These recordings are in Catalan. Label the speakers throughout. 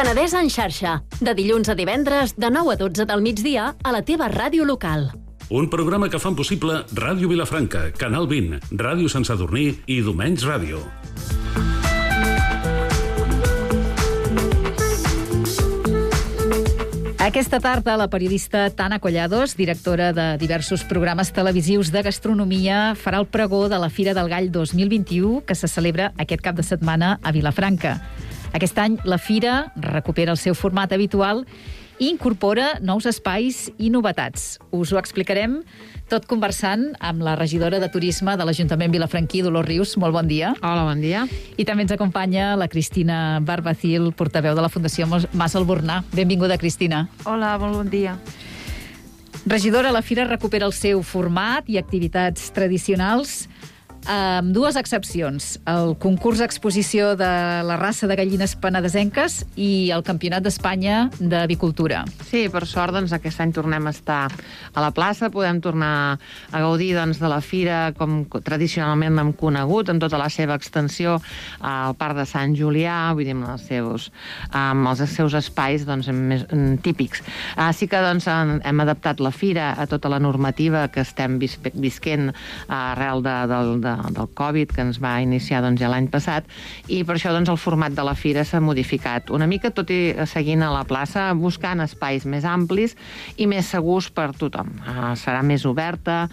Speaker 1: Penedès en xarxa, de dilluns a divendres, de 9 a 12 del migdia, a la teva ràdio local.
Speaker 2: Un programa que fan possible Ràdio Vilafranca, Canal 20, Ràdio Sant Sadurní i Domenys Ràdio.
Speaker 3: Aquesta tarda, la periodista Tana Collados, directora de diversos programes televisius de gastronomia, farà el pregó de la Fira del Gall 2021, que se celebra aquest cap de setmana a Vilafranca. Aquest any, la Fira recupera el seu format habitual i incorpora nous espais i novetats. Us ho explicarem tot conversant amb la regidora de Turisme de l'Ajuntament vilafranquí, Dolors Rius. Molt bon dia.
Speaker 4: Hola, bon dia.
Speaker 3: I també ens acompanya la Cristina Barbacil, portaveu de la Fundació Mas Albornà. Benvinguda, Cristina.
Speaker 4: Hola, molt bon dia.
Speaker 3: Regidora, la Fira recupera el seu format i activitats tradicionals, amb dues excepcions: el concurs exposició de la raça de gallines penedesenques i el Campionat d'Espanya d'Avicultura.
Speaker 4: Sí, per sort, doncs, aquest any tornem a estar a la plaça, podem tornar a gaudir, doncs, de la fira com tradicionalment l'hem conegut, en tota la seva extensió, al Parc de Sant Julià, vull dir, amb els seus espais, doncs, més típics. Sí que, doncs, hem adaptat la fira a tota la normativa que estem visquent arrel del Covid, que ens va iniciar, doncs, ja l'any passat, i per això, doncs, el format de la fira s'ha modificat una mica, tot i seguint a la plaça, buscant espais més amplis i més segurs per tothom. Serà més oberta,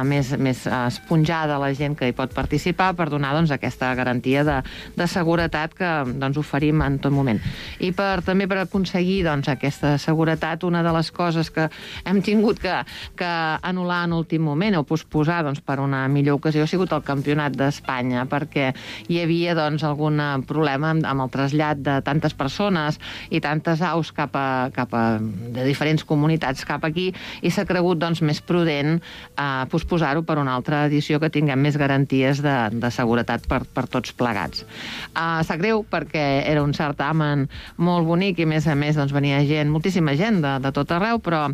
Speaker 4: més esponjada la gent que hi pot participar, per donar, doncs, aquesta garantia de seguretat que, doncs, oferim en tot moment. I també per aconseguir, doncs, aquesta seguretat, una de les coses que hem tingut que anul·lar en últim moment o posposar, doncs, per una millor ocasió ha sigut el Campionat d'Espanya, perquè hi havia, doncs, algun problema amb el trasllat de tantes persones i tantes aus de diferents comunitats cap aquí, i s'ha cregut, doncs, més prudent posposar-ho per una altra edició que tinguem més garanties de seguretat per tots plegats. Sap greu perquè era un certamen molt bonic i, a més, doncs, venia gent, moltíssima gent de tot arreu, però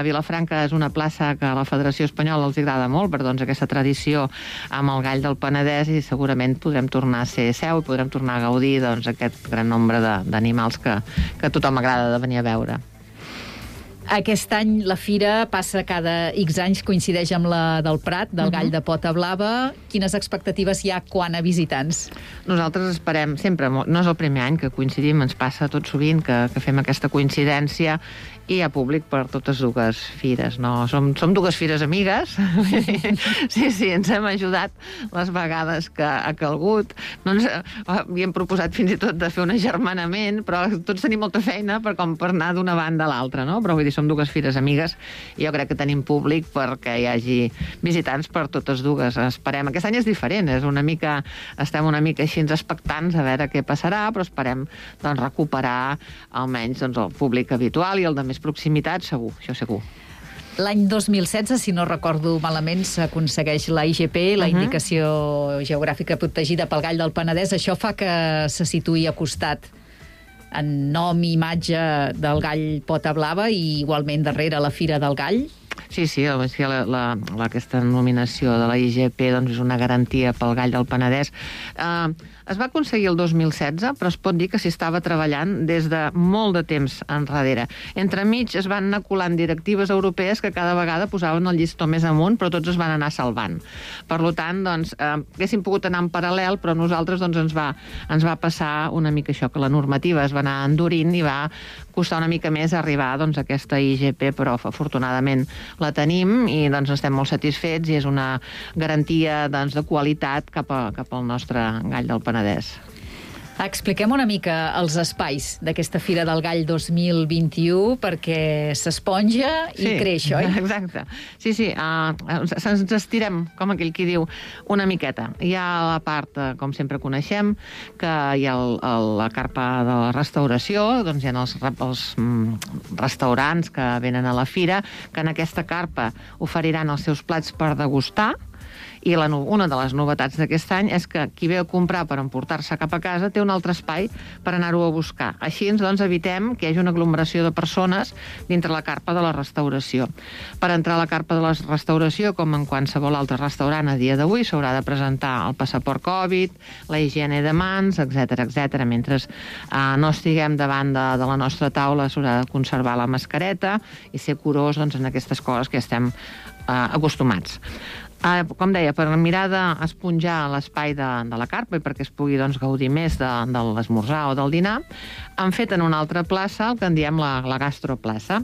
Speaker 4: Vilafranca és una plaça que a la Federació Espanyola els agrada molt per, doncs, aquesta tradició amb el gall del Penedès, i segurament podrem tornar a ser seu i podrem tornar a gaudir, doncs, aquest gran nombre d'animals que a tothom agrada de venir a veure.
Speaker 3: Aquest any la fira passa cada X anys, coincideix amb la del Prat, del gall de pota blava. Quines expectatives hi ha quant a visitants?
Speaker 4: Nosaltres esperem sempre, no és el primer any que coincidim, ens passa tot sovint que fem aquesta coincidència, i hi ha públic per totes dues fires, no? Som dues fires amigues. Sí, ens hem ajudat les vegades que ha calgut. No ens havíem proposat fins i tot de fer un agermanament, però tots tenim molta feina per anar d'una banda a l'altra, no? Però vull dir, som dues fires amigues i jo crec que tenim públic perquè hi hagi visitants per totes dues. Esperem. Aquest any és diferent, estem una mica així expectants a veure què passarà, però esperem, doncs, recuperar almenys, doncs, el públic habitual i el de més proximitat, segur, això segur.
Speaker 3: L'any 2016, si no recordo malament, s'aconsegueix la IGP, la Indicació Geogràfica Protegida pel Gall del Penedès. Això fa que se situï a costat en nom i imatge del gall pota blava i igualment darrere la Fira del Gall.
Speaker 4: Sí, aquesta nominació de la IGP, doncs, és una garantia pel gall del Penedès. Es va aconseguir el 2016, però es pot dir que s'hi estava treballant des de molt de temps enrere. Entremig es van anar colant directives europees que cada vegada posaven el llistó més amunt, però tots es van anar salvant. Per tant, doncs, haguéssim pogut anar en paral·lel, però a nosaltres, doncs, ens va passar una mica això, que la normativa es va anar endurint i va costar una mica més arribar, doncs, a aquesta IGP, però afortunadament la tenim i, doncs, estem molt satisfets i és una garantia, doncs, de qualitat cap al nostre gall del Penedès.
Speaker 3: Expliquem una mica els espais d'aquesta Fira del Gall 2021, perquè s'esponja i creix, oi?
Speaker 4: Exacte. Sí, ens estirem, com aquell qui diu, una miqueta. Hi ha la part, com sempre coneixem, que hi ha la carpa de la restauració, doncs hi ha els restaurants que venen a la fira, que en aquesta carpa oferiran els seus plats per degustar, I una de les novetats d'aquest any és que qui ve a comprar per emportar-se cap a casa té un altre espai per anar-ho a buscar. Així, doncs, evitem que hi hagi una aglomeració de persones dintre la carpa de la restauració. Per entrar a la carpa de la restauració, com en qualsevol altre restaurant a dia d'avui, s'haurà de presentar el passaport Covid, la higiene de mans, etc etc. Mentre no estiguem davant de la nostra taula, s'haurà de conservar la mascareta i ser curós en aquestes coses que estem acostumats. Com deia, per mirar d'esponjar l'espai de la carpa i perquè es pugui gaudir més de l'esmorzar o del dinar, han fet en una altra plaça el que en diem la gastroplaça.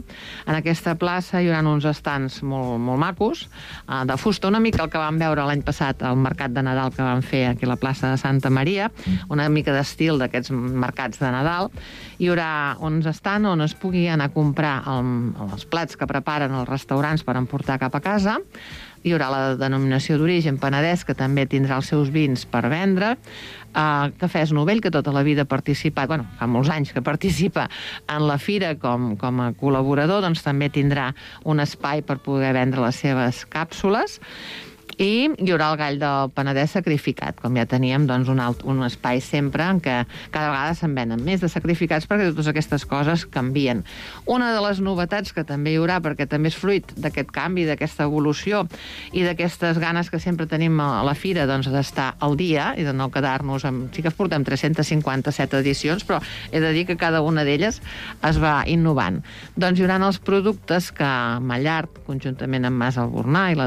Speaker 4: En aquesta plaça hi haurà uns estants molt macos, de fusta, una mica el que vam veure l'any passat al mercat de Nadal que vam fer aquí a la plaça de Santa Maria, una mica d'estil d'aquests mercats de Nadal. Hi haurà uns estants on es pugui anar a comprar els plats que preparen els restaurants per emportar cap a casa. Hi haurà la denominació d'origen Penedès, que també tindrà els seus vins per vendre. Cafès Novell, que tota la vida ha participat, fa molts anys que participa en la fira com a col·laborador, doncs també tindrà un espai per poder vendre les seves càpsules. I hi haurà el gall del Penedès sacrificat, com ja teníem un espai sempre en què cada vegada se'n venen més de sacrificats perquè totes aquestes coses canvien. Una de les novetats que també hi haurà, perquè també és fruit d'aquest canvi, d'aquesta evolució i d'aquestes ganes que sempre tenim a la fira d'estar al dia i de no quedar-nos amb... Sí que portem 357 edicions, però he de dir que cada una d'elles es va innovant. Doncs hi haurà els productes que Mallart, conjuntament amb Mas Albornà i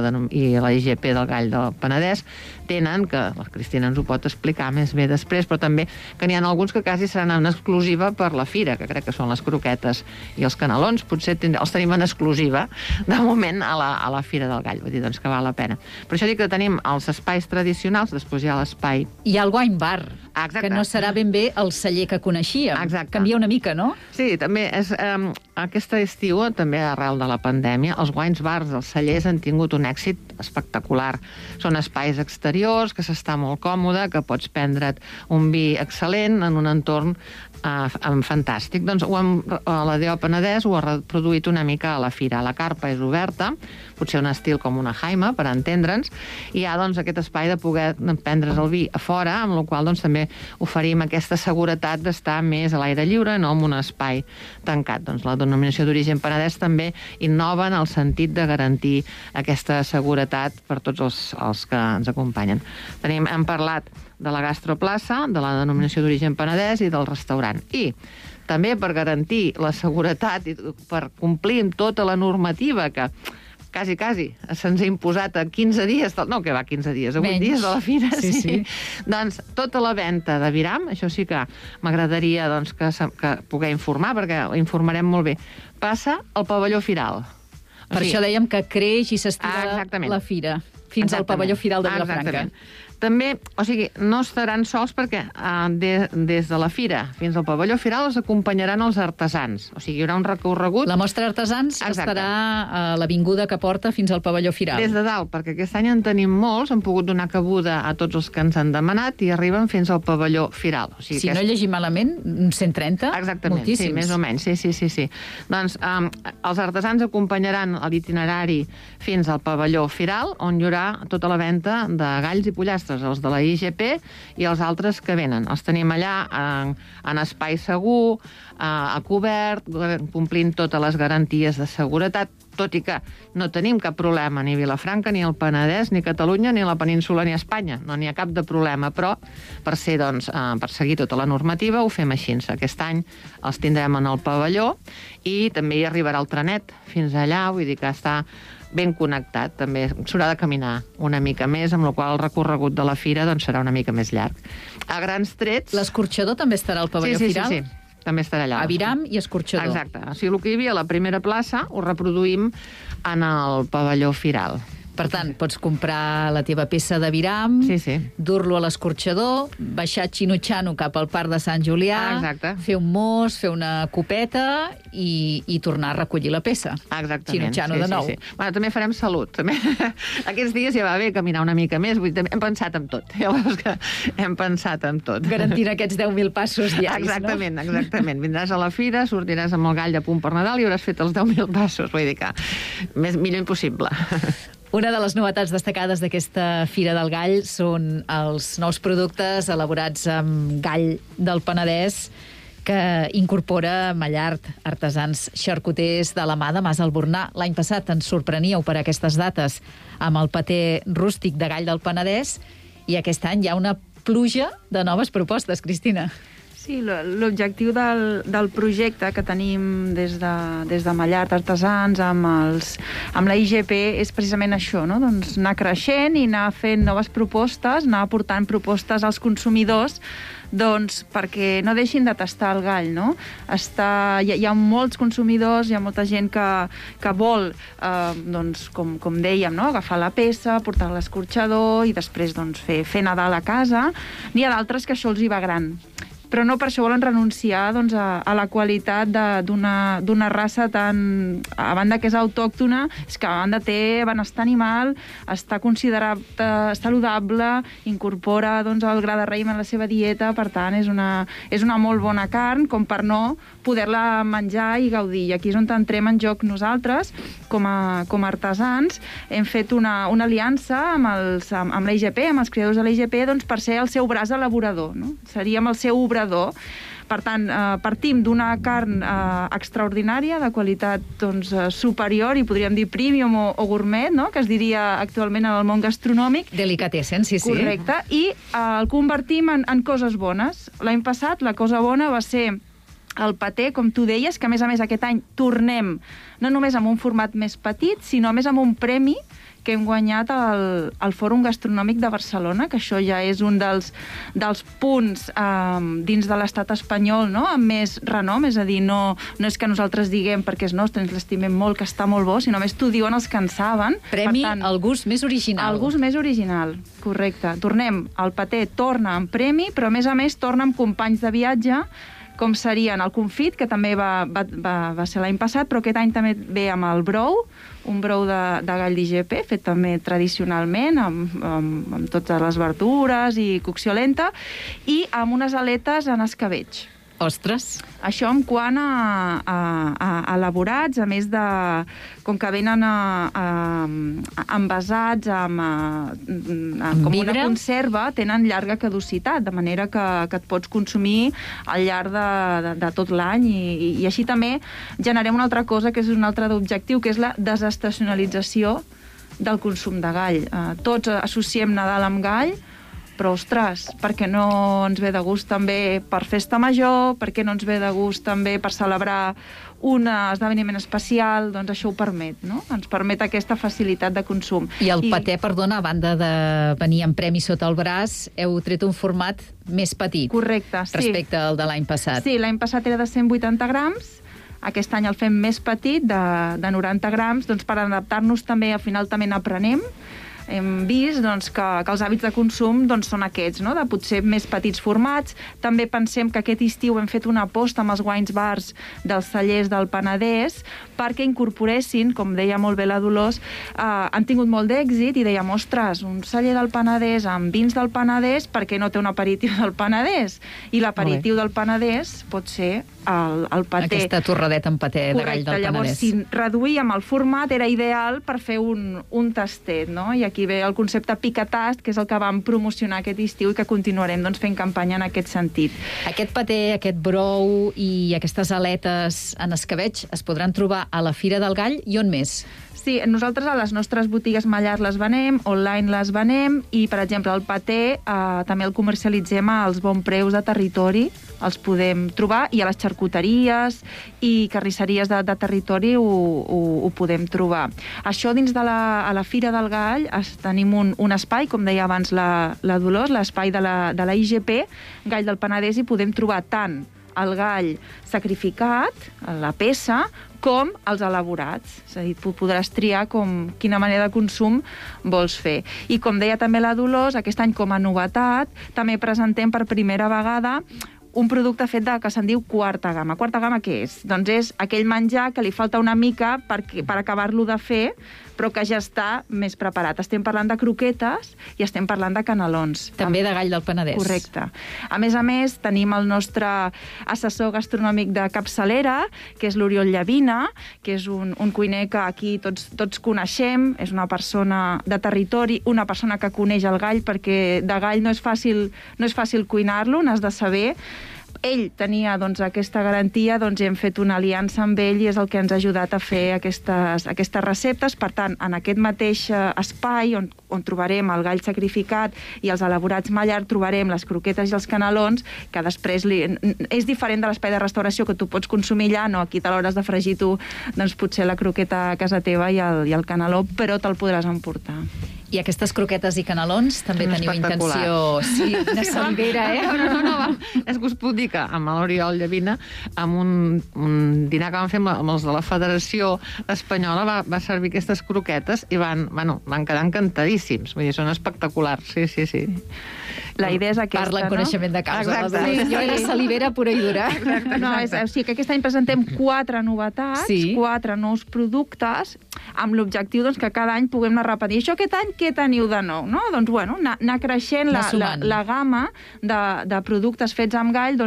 Speaker 4: la IGP del gall del Penedès, tenen, que la Cristina ens ho pot explicar més bé després, però també que n'hi ha alguns que quasi seran en exclusiva per la fira, que crec que són les croquetes i els canelons, potser els tenim en exclusiva de moment a la Fira del Gall, vull dir que val la pena. Per això dic que tenim els espais tradicionals, després hi ha l'espai...
Speaker 3: Hi ha el wine bar,
Speaker 4: exacte,
Speaker 3: que no serà ben bé el celler que coneixíem.
Speaker 4: Exacte.
Speaker 3: Canvia una mica, no?
Speaker 4: Sí, també és... Aquest estiu, també arrel de la pandèmia, els wines bars dels cellers han tingut un èxit espectacular. Són espais exteriors, que s'està molt còmode, que pots prendre't un vi excel·lent en un entorn fantàstic. Doncs la DO Penedès ho ha reproduït una mica a la fira. La carpa és oberta, potser un estil com una jaima, per entendre'ns, i hi ha aquest espai de poder prendre's el vi a fora, amb la qual també oferim aquesta seguretat d'estar més a l'aire lliure, no en un espai tancat. Doncs la denominació d'origen Penedès també innova en el sentit de garantir aquesta seguretat per tots els que ens acompanyen. Hem parlat de la gastroplaça, de la denominació d'origen Penedès i del restaurant. I també per garantir la seguretat i per complir amb tota la normativa que quasi se'ns ha imposat a 15 dies, no, que va 15 dies, a 8 dies de la fira, sí. Doncs tota la venda de Viram, això sí que m'agradaria que poder informar, perquè informarem molt bé, passa al pavelló Firal.
Speaker 3: Per això dèiem que creix i s'estira la fira fins al pavelló Firal de Vilafranca.
Speaker 4: També, no estaran sols perquè des de la fira fins al pavelló Firal els acompanyaran els artesans. Hi haurà un recorregut...
Speaker 3: La mostra d'artesans estarà a l'avinguda que porta fins al pavelló Firal.
Speaker 4: Des de dalt, perquè aquest any en tenim molts, han pogut donar cabuda a tots els que ens han demanat i arriben fins al pavelló Firal.
Speaker 3: Si no llegim malament, 130?
Speaker 4: Exactament,
Speaker 3: moltíssims.
Speaker 4: Sí, més o menys, sí. Doncs els artesans acompanyaran l'itinerari fins al pavelló Firal, on hi haurà tota la venda de galls i pollastres, els de la IGP i els altres que venen. Els tenim allà en espai segur, a cobert, complint totes les garanties de seguretat, tot i que no tenim cap problema ni Vilafranca, ni el Penedès, ni Catalunya, ni la península, ni Espanya. No n'hi ha cap de problema, però per seguir tota la normativa ho fem així. Aquest any els tindrem en el pavelló i també hi arribarà el trenet fins allà, vull dir que està ben connectat, també s'haurà de caminar una mica més, amb la qual el recorregut de la fira serà una mica més llarg. A grans trets...
Speaker 3: L'escorxador també estarà al pavelló Firal?
Speaker 4: Sí, també estarà allà.
Speaker 3: A Viram i escorxador.
Speaker 4: Exacte. El que hi havia a la primera plaça ho reproduïm en el pavelló Firal.
Speaker 3: Per tant, pots comprar la teva peça de Viram, dur-lo a l'escorxador, baixar xinutxano cap al Parc de Sant Julià, fer un mos, fer una copeta i tornar a recollir la peça.
Speaker 4: Exactament.
Speaker 3: Xinutxano de nou.
Speaker 4: Bueno, també farem salut. Aquests dies ja va bé caminar una mica més, hem pensat en tot. Hem pensat en tot.
Speaker 3: Garantint aquests 10.000 passos diaris,
Speaker 4: no? Exactament. Vindràs a la fira, sortiràs amb el gall a punt per Nadal i hauràs fet els 10.000 passos. Vull dir que millor impossible.
Speaker 3: Una de les novetats destacades d'aquesta Fira del Gall són els nous productes elaborats amb gall del Penedès, que incorpora Mallart, artesans xarcuters de la mà de Mas Albornà. L'any passat ens sorpreníeu per aquestes dates amb el paté rústic de gall del Penedès i aquest any hi ha una pluja de noves propostes, Cristina.
Speaker 5: Sí, l'objectiu del projecte que tenim des de Mallart Artesans amb la IGP és precisament això, no? Doncs anar creixent i anar fent noves propostes, anar aportant propostes als consumidors doncs perquè no deixin de tastar el gall, no? Hi ha molts consumidors, hi ha molta gent que vol, doncs, com dèiem, no? Agafar la peça, portar-la a l'escorxador i després doncs, fer Nadal a casa. N'hi ha d'altres que això els hi va gran, però no per això volen renunciar doncs, a la qualitat d'una raça tan... A banda que és autòctona, és que a banda té benestar animal, està considerat saludable, incorpora doncs, el gra de raïm en la seva dieta, per tant, és una molt bona carn, com per no poder-la menjar i gaudir. I aquí és on entrem en joc nosaltres, com a artesans. Hem fet una aliança amb la IGP, amb els creadors de la IGP, doncs, per ser el seu braç elaborador, no? Seríem el seu obrador. Per tant, partim d'una carn extraordinària, de qualitat doncs, superior, i podríem dir premium o gourmet, no? Que es diria actualment en el món gastronòmic.
Speaker 3: Delicatessen, sí.
Speaker 5: Correcte. I el convertim en coses bones. L'any passat la cosa bona va ser el paté, com tu deies, que a més aquest any tornem no només amb un format més petit, sinó a més amb un premi que hem guanyat al Fòrum Gastronòmic de Barcelona, que això ja és un dels punts dins de l'estat espanyol, no? Amb més renom, és a dir, no és que nosaltres diguem perquè és nostre, ens l'estimem molt, que està molt bo, sinó més t'ho diuen els que en saben.
Speaker 3: Premi al gust més original.
Speaker 5: El gust més original, correcte. Tornem, el paté torna amb premi, però a més torna amb companys de viatge, com serien el confit, que també va ser l'any passat, però aquest any també ve amb el brou, un brou de gall d'IGP, fet també tradicionalment, amb totes les verdures i cocció lenta, i amb unes aletes en escabetx.
Speaker 3: Ostres!
Speaker 5: Això en quant a elaborats, a més de... Com que venen envasats com una conserva, tenen llarga caducitat, de manera que et pots consumir al llarg de tot l'any. I així també generem una altra cosa, que és un altre objectiu, que és la desestacionalització del consum de gall. Tots associem Nadal amb gall, però, ostres, per què no ens ve de gust també per festa major, per què no ens ve de gust també per celebrar un esdeveniment especial? Doncs això ho permet, no? Ens permet aquesta facilitat de consum.
Speaker 3: I el paté, perdona, a banda de venir amb premi sota el braç, heu tret un format més petit.
Speaker 5: Correcte, sí.
Speaker 3: Respecte al de l'any passat.
Speaker 5: Sí, l'any passat era de 180 grams, aquest any el fem més petit, de 90 grams, doncs per adaptar-nos també, al final també n'aprenem. Hem vist doncs, que els hàbits de consum doncs, són aquests, no? De potser més petits formats. També pensem que aquest estiu hem fet una aposta amb els wines bars dels cellers del Penedès perquè incorporessin, com deia molt bé la Dolors, han tingut molt d'èxit i dèiem, ostres, un celler del Penedès amb vins del Penedès, per què no té un aperitiu del Penedès? I l'aperitiu del Penedès pot ser el paté.
Speaker 3: Aquesta torradeta amb paté de gall del Penedès.
Speaker 5: Llavors, si reduïem el format, era ideal per fer un tastet, no? I aquí ve el concepte picatast, que és el que vam promocionar aquest estiu i que continuarem doncs, fent campanya en aquest sentit.
Speaker 3: Aquest paté, aquest brou i aquestes aletes en escabetx es podran trobar a la Fira del Gall i on més?
Speaker 5: Sí, nosaltres a les nostres botigues Mallart les venem, online les venem i, per exemple, el paté també el comercialitzem als bons preus de territori, els podem trobar, i a les xarcuteries i carnisseries de territori ho podem trobar. Això dins de la Fira del Gall tenim un espai, com deia abans la Dolors, l'espai de la IGP, Gall del Penedès, i podem trobar tant el gall sacrificat, la peça, com els elaborats. És a dir, podràs triar quina manera de consum vols fer. I com deia també la Dolors, aquest any com a novetat, també presentem per primera vegada un producte fet que se'n diu quarta gamma. Quarta gamma què és? Doncs és aquell menjar que li falta una mica per acabar-lo de fer, però que ja està més preparat. Estem parlant de croquetes i estem parlant de canelons.
Speaker 3: També de gall del Penedès.
Speaker 5: Correcte. A més, tenim el nostre assessor gastronòmic de capçalera, que és l'Oriol Llavina, que és un cuiner que aquí tots coneixem, és una persona de territori, una persona que coneix el gall, perquè de gall no és fàcil cuinar-lo, n'has de saber. Ell tenia aquesta garantia, hem fet una aliança amb ell i és el que ens ha ajudat a fer aquestes receptes. Per tant, en aquest mateix espai on trobarem el gall sacrificat i els elaborats Mallard, trobarem les croquetes i els canelons, que després és diferent de l'espai de restauració que tu pots consumir allà, no, aquí te l'hauràs de fregir tu, doncs potser la croqueta a casa teva i el caneló, però te'l podràs emportar.
Speaker 3: I aquestes croquetes i canelons també teniu intenció... Sí, una salivera,
Speaker 4: No, és que us puc dir que amb l'Oriol Llavina, amb un dinar que vam fer amb els de la Federació Espanyola, va servir aquestes croquetes i van quedar encantadíssims. Vull dir, són espectaculars, sí.
Speaker 5: La idea és aquesta,
Speaker 3: Parla en coneixement de causa.
Speaker 4: Exacte.
Speaker 3: Jo era salivera pura i dura.
Speaker 5: O sigui que aquest any presentem 4 novetats, 4 nous productes, amb l'objectiu que cada any puguem anar repetint. Això aquest any què teniu de nou? No? Doncs, anar creixent la gamma de productes fets amb gall,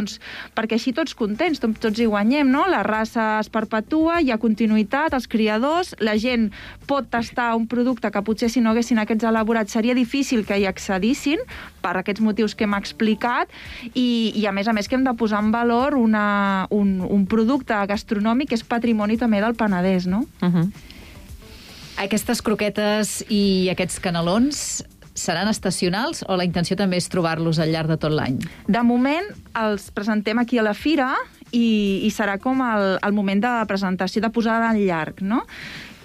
Speaker 5: perquè així tots contents, tots hi guanyem, no? La raça es perpetua, hi ha continuïtat, els criadors, la gent pot tastar un producte que potser si no haguessin aquests elaborats seria difícil que hi accedissin, per aquests motius que hem explicat, i a més que hem de posar en valor un producte gastronòmic que és patrimoni també del Penedès, no?
Speaker 3: Aquestes croquetes i aquests canelons seran estacionals o la intenció també és trobar-los al llarg de tot l'any?
Speaker 5: De moment els presentem aquí a la fira i serà com el moment de presentació, de posada en llarg, no?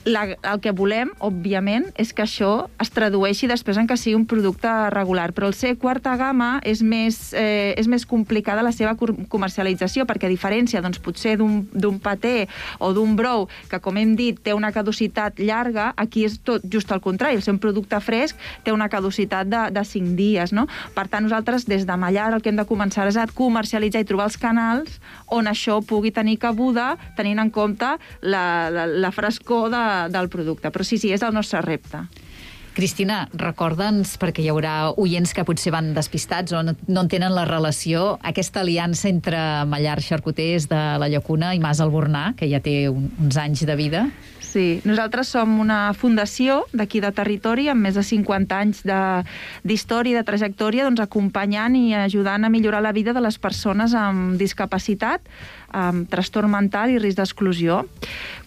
Speaker 5: El que volem, òbviament, és que això es tradueixi després en que sigui un producte regular, però el ser quarta gamma és més complicada la seva comercialització, perquè a diferència, potser d'un paté o d'un brou, que, com hem dit, té una caducitat llarga, aquí és tot just al contrari. El seu producte fresc té una caducitat de 5 dies, no? Per tant, nosaltres, des de Mallard, el que hem de començar és a comercialitzar i trobar els canals on això pugui tenir cabuda, tenint en compte la frescor del producte. Però sí, és el nostre repte.
Speaker 3: Cristina, recorda'ns, perquè hi haurà oients que potser van despistats o no entenen la relació, aquesta aliança entre Mallard Xarcuters de la Llacuna i Mas Albornà, que ja té uns anys de vida.
Speaker 5: Sí, nosaltres som una fundació d'aquí de territori amb més de 50 anys d'història i de trajectòria, acompanyant i ajudant a millorar la vida de les persones amb discapacitat, amb trastorn mental i risc d'exclusió.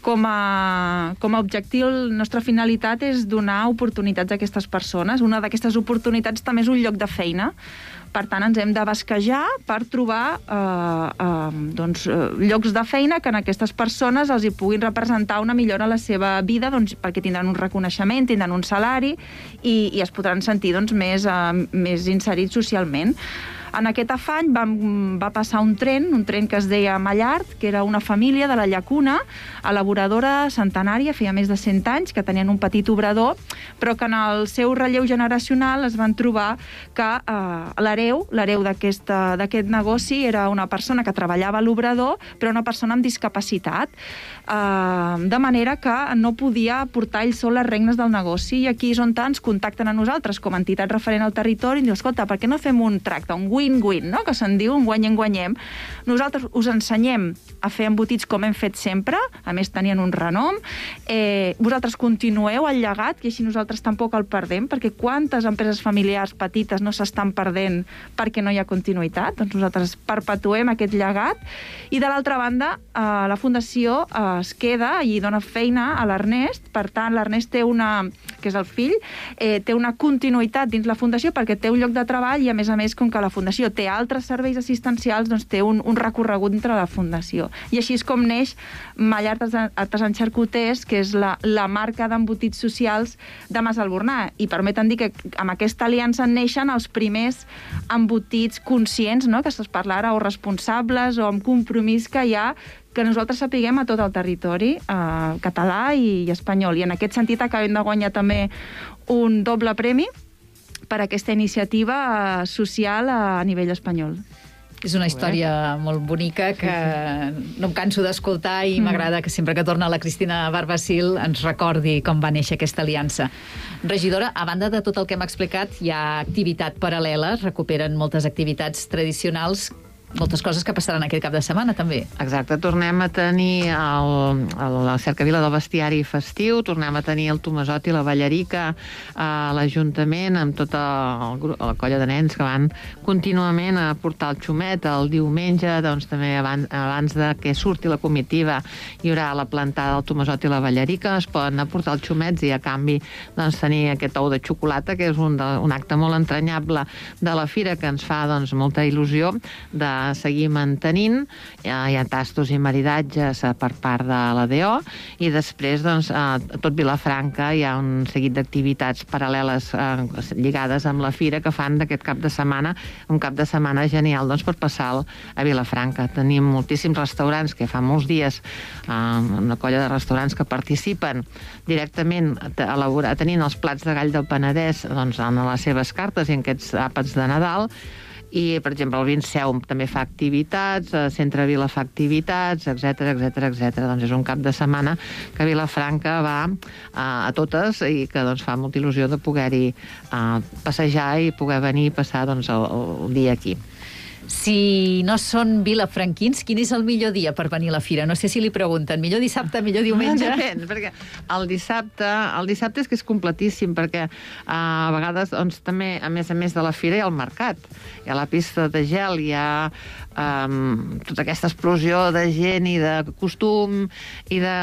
Speaker 5: Com a objectiu, la nostra finalitat és donar oportunitats a aquestes persones. Una d'aquestes oportunitats també és un lloc de feina. Per tant, ens hem de basquejar per trobar llocs de feina que en aquestes persones els hi puguin representar una millora a la seva vida, perquè tindran un reconeixement, tindran un salari i es podran sentir més inserits socialment. En aquest afany va passar un tren que es deia Mallard, que era una família de la Llacuna, elaboradora centenària, feia més de 100 anys, que tenien un petit obrador, però que en el seu relleu generacional es van trobar que l'hereu d'aquest negoci era una persona que treballava a l'obrador, però una persona amb discapacitat, de manera que no podia portar ell sol les regnes del negoci, i aquí és on ens contacten a nosaltres com a entitat referent al territori i diu, escolta, per què no fem un tracte, un win-win, no? Que se'n diu un guanyem-guanyem. Nosaltres us ensenyem a fer embotits com hem fet sempre, a més tenien un renom, vosaltres continueu el llegat i així nosaltres tampoc el perdem, perquè quantes empreses familiars petites no s'estan perdent perquè no hi ha continuïtat? Doncs nosaltres perpetuem aquest llegat i de l'altra banda la Fundació es queda i dona feina a l'Ernest, per tant l'Ernest té que és el fill, té una continuïtat dins la Fundació perquè té un lloc de treball i a més, com que la Fundació té altres serveis assistencials, doncs té un recorregut entre la Fundació. I així és com neix Mallard Artesans Xarcuters, que és la marca d'embotits socials de Mas Albornà. I permeten dir que amb aquesta aliança neixen els primers embotits conscients, no?, que es parla ara, o responsables, o amb compromís que hi ha, que nosaltres sapiguem a tot el territori català i espanyol. I en aquest sentit acabem de guanyar també un doble premi per aquesta iniciativa social a nivell espanyol.
Speaker 3: És una història molt bonica que no em canso d'escoltar i m'agrada que sempre que torna la Cristina Barbacil ens recordi com va néixer aquesta aliança. Regidora, a banda de tot el que hem explicat, hi ha activitat paral·lela, recuperen moltes activitats tradicionals, moltes coses que passaran aquest cap de setmana, també.
Speaker 4: Exacte, tornem a tenir la cercavila del bestiari festiu, tornem a tenir el Tomesot i la Ballarica a l'Ajuntament, amb tota la colla de nens que van contínuament a portar el xumet. El diumenge, doncs, també abans de que surti la comitiva, hi haurà la plantada del Tomesot i la Ballarica, es poden aportar els xumets i a canvi doncs, tenir aquest ou de xocolata, que és un acte molt entranyable de la fira que ens fa doncs, molta il·lusió de seguir mantenint. Hi ha tastos i maridatges per part de la DO i després doncs, a tot Vilafranca hi ha un seguit d'activitats paral·leles lligades amb la fira que fan d'aquest cap de setmana un cap de setmana genial doncs, per passar a Vilafranca. Tenim moltíssims restaurants que fa molts dies, una colla de restaurants que participen directament tenint els plats de gall del Penedès doncs, en les seves cartes i en aquests àpats de Nadal. I, per exemple, el Vinceum també fa activitats, el Centre Vila fa activitats, etc. Doncs és un cap de setmana que Vilafranca va a totes i que doncs, fa molta il·lusió de poder-hi passejar i poder venir i passar doncs, el dia aquí.
Speaker 3: Si no són vilafranquins, quin és el millor dia per venir a la fira? No sé si li pregunten, millor dissabte, millor diumenge?
Speaker 4: Depèn, perquè el dissabte és que és completíssim, perquè a vegades doncs, també, a més de la fira, hi ha el mercat. Hi ha la pista de gel, hi ha tota aquesta explosió de gent i de costum i de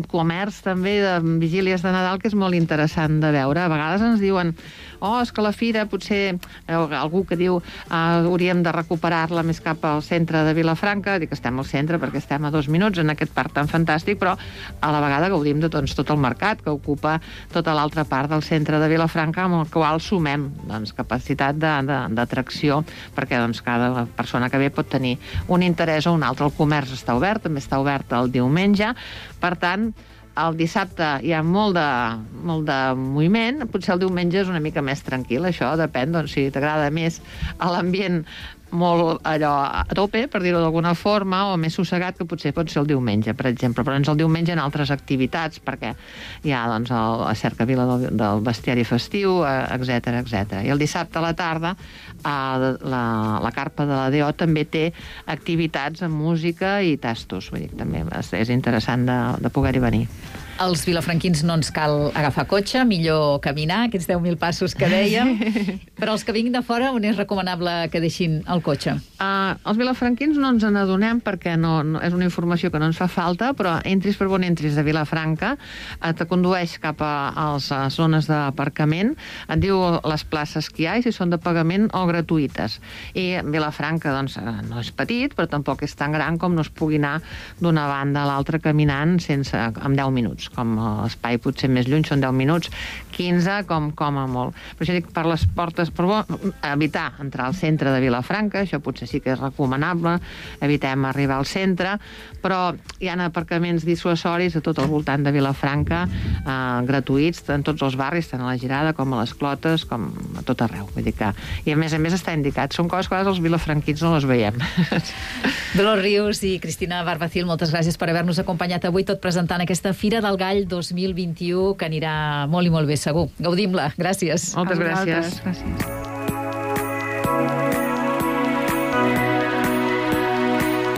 Speaker 4: comerç també, de vigílies de Nadal, que és molt interessant de veure. A vegades ens diuen és que la fira potser, algú que diu hauríem de recuperar-la més cap al centre de Vilafranca. Dic que estem al centre perquè estem a 2 minuts en aquest parc tan fantàstic, però a la vegada gaudim de doncs, tot el mercat que ocupa tota l'altra part del centre de Vilafranca, amb el qual sumem doncs, capacitat d'atracció, perquè doncs, cada persona que ve pot tenir un interès o un altre. El comerç està obert, també està obert el diumenge, per tant, el dissabte hi ha molt de moviment, potser el diumenge és una mica més tranquil, això depèn, doncs, si t'agrada més l'ambient molt allò a tope, per dir-ho d'alguna forma, o més sossegat, que potser pot ser el diumenge, per exemple, però el diumenge en altres activitats, perquè hi ha doncs, la cercavila del bestiari festiu, etc. I el dissabte a la tarda la carpa de la DO també té activitats amb música i tastos, vull dir, també és interessant de poder-hi venir.
Speaker 3: Als vilafranquins no ens cal agafar cotxe, millor caminar, aquests 10.000 passos que dèiem, però els que vinguin de fora, on és recomanable que deixin el cotxe?
Speaker 4: Els vilafranquins no ens n'adonem perquè no, és una informació que no ens fa falta, però entris per on entris de Vilafranca, te condueix cap a les zones d'aparcament, et diu les places que hi ha i si són de pagament o gratuïtes. I Vilafranca doncs, no és petit, però tampoc és tan gran com no es pugui anar d'una banda a l'altra caminant amb 10 minuts. Com l'espai potser més lluny són 10 minuts, 15 com a molt. Per això dic, per les portes, per evitar entrar al centre de Vilafranca, això potser sí que és recomanable, evitem arribar al centre, però hi ha aparcaments dissuasoris a tot el voltant de Vilafranca, gratuïts, en tots els barris, tant a la Girada com a les Clotes, com a tot arreu. Vull dir que, i a més està indicat. Són coses que a vegades els vilafranquins no les veiem.
Speaker 3: Dolors Rius i Cristina Barbacil, moltes gràcies per haver-nos acompanyat avui, tot presentant aquesta Fira del Gall 2021, que anirà molt i molt bé, segur. Gaudim-la. Gràcies.
Speaker 4: Moltes gràcies.
Speaker 5: Gràcies.